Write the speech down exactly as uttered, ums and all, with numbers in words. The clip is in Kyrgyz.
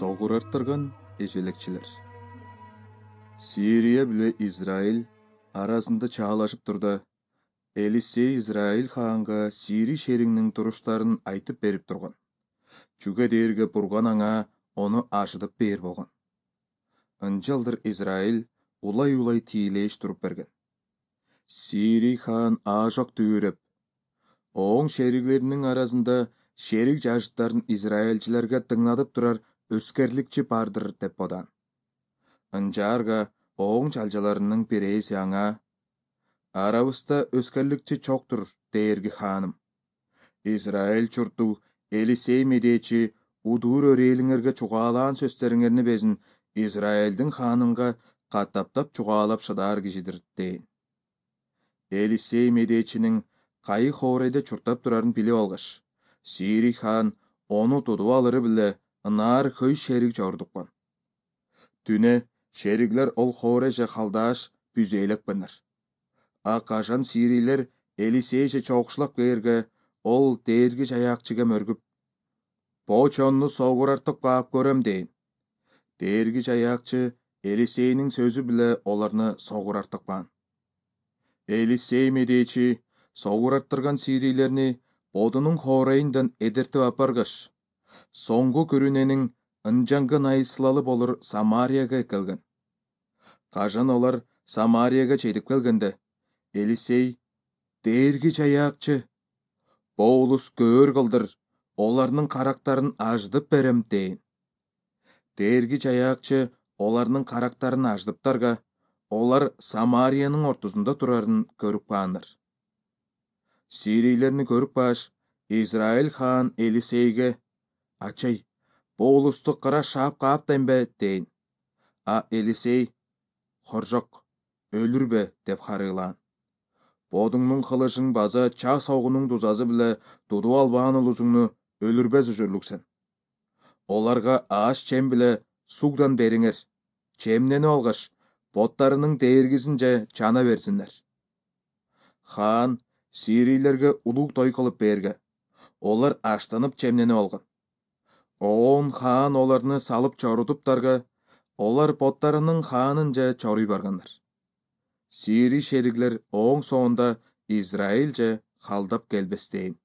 Согурартырган эжелекчилер. Сирия биле Израиль арасында чаалашып турда, Элисей Израиль хаанга Сирий шериңнин туруштарын айтып берип турган. Чүгө дээрге Бурган аңа ону ашыдып бээр болгон. Ынчалдыр Израиль улай-улай тиилеш туруп берген. Сирий хаан аажок түйрөп, оң шериглеринин арасында шерик жашыттарын израильчилерге тыңнатып турар өскерликчи бардыр деп бодан. Ынчаарга оң чалжаларынын бирээси аңа: "Арабызда өскерликчи чоктур, дээрги хааным. Израиль чурту Элисей медечи удуур өрээлиңерге чугаалаан сөздөрүңөрнү безин Израилдин ханынга каттаптап чугаалап шыдаар кишидир" дейин. Элисей медечинин кайы Хорейде чуртап турарын билип алгаш, Сирий хаан ону тутуп алыры биле ынаар көй шерик жордуккан. Түнө шериглер ол Хорейже халдааш бүзөйлөкпөнөр. А кажан Сирийлер Элисейже чогушлап кээрге, ол дээрги жаякчыга мөргүп: "Бо чонну согурартып каап көрөм" дейин. Дээрги жаякчы Элисейнин сөзү биле оларны согурартып каан. Элисей медечи согураттырган Сирийлерни бодунун Хорейиндан эдертип апаргаш, соңку күрүненин ынжаңгы найысылалы болор Самарияга келген. Кажан олар Самарияга жетип келгенде, Элисей: "Дээрги жаякчы, бо улус көөр кылдыр, оларнын карактарын аждып берем" дейин. Дээрги жаякчы оларнын карактарын аждыптарга, олар Самариянын ортосунда турарын көрүп каандар. Сирийлерни көрүп кааш, Израиль хаан Элисейге: "Ачай, бу улусту кыра шаап кааптаймбы" дейин. А Элисей: "Хоржок, өлүрбө" деп харыылаан. "Бодуңнун кылычың база чаа согунуң дузазы биле тутуп албаан улусуңну өлүрбөс ужурлуксен. Оларга аш чем биле сугдан бериңер. Чемненип алгаш, боттарынын дээргисинче чана берсиннер." Хаан Сирийлерге улуг той кылып берге. Олар аштанып чемненип алган. Оон хаан оларны салып чорутуптарга, олар боттарынын хаанынча чоруй баргандар. Сирий шериглер оң соонда Израилже халдап келбестейин.